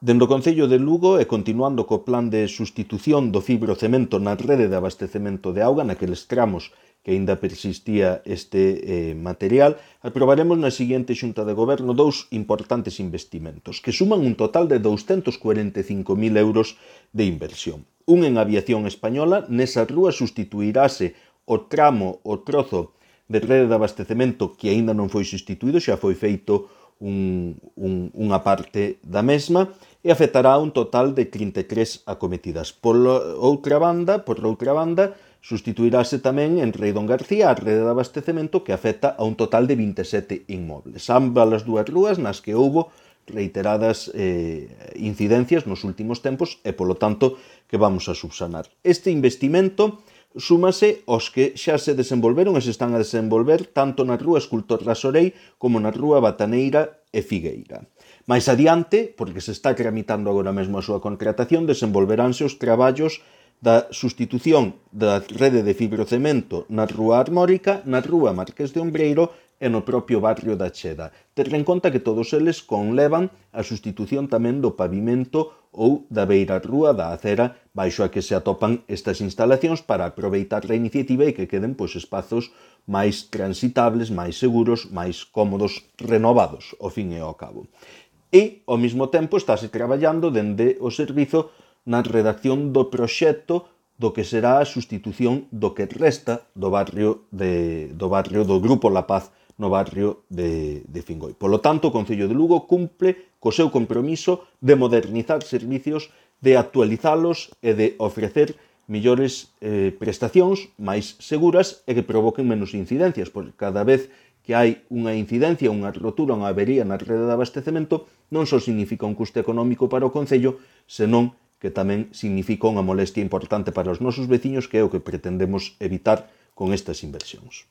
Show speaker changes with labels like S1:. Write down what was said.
S1: Dende o Concello de Lugo e continuando co plan de sustitución do fibrocemento na rede de abastecemento de auga naqueles tramos que aínda persistía este material, aprobaremos na seguinte Xunta de Goberno dous importantes investimentos que suman un total de 245.000 euros de inversión. Un en aviación española, nesa rúa sustituirase o trozo de rede de abastecemento que aínda non foi sustituído, xa foi feito unha parte da mesma e afectará un total de 33 acometidas. Por outra banda, sustituirase tamén en Rei Don García a rede de abastecemento que afecta a un total de 27 inmobles. Ambas as dúas rúas nas que houbo reiteradas incidencias nos últimos tempos e, polo tanto, que vamos a subsanar. Este investimento súmase aos que xa se desenvolveron e se están a desenvolver tanto na rúa Escultor Rasorei como na rúa Bataneira e Figueira. Mais adiante, porque se está tramitando agora mesmo a súa contratación, desenvolveránse os traballos da sustitución da rede de fibrocemento na rúa Armórica, na rúa Marqués de Ombreiro e no propio barrio da Cheda. Ter en conta que todos eles conlevan a sustitución tamén do pavimento ou da beira rúa da acera baixo a que se atopan estas instalacións para aproveitar a iniciativa e que queden espazos máis transitables, máis seguros, máis cómodos, renovados, ao fin e ao cabo. E, ao mesmo tempo, estáse traballando dende o servizo na redacción do proxecto do que será a sustitución do que resta do barrio do Grupo La Paz no barrio de Fingoi. Polo tanto, o Concello de Lugo cumpre co seu compromiso de modernizar servicios, de actualizalos e de ofrecer millores prestacións máis seguras e que provoquen menos incidencias, porque cada vez que hai unha incidencia, unha rotura, unha avería na rede de abastecemento, non só significa un custe económico para o Concello, senón que tamén significa unha molestia importante para os nosos veciños, que é o que pretendemos evitar con estas inversións.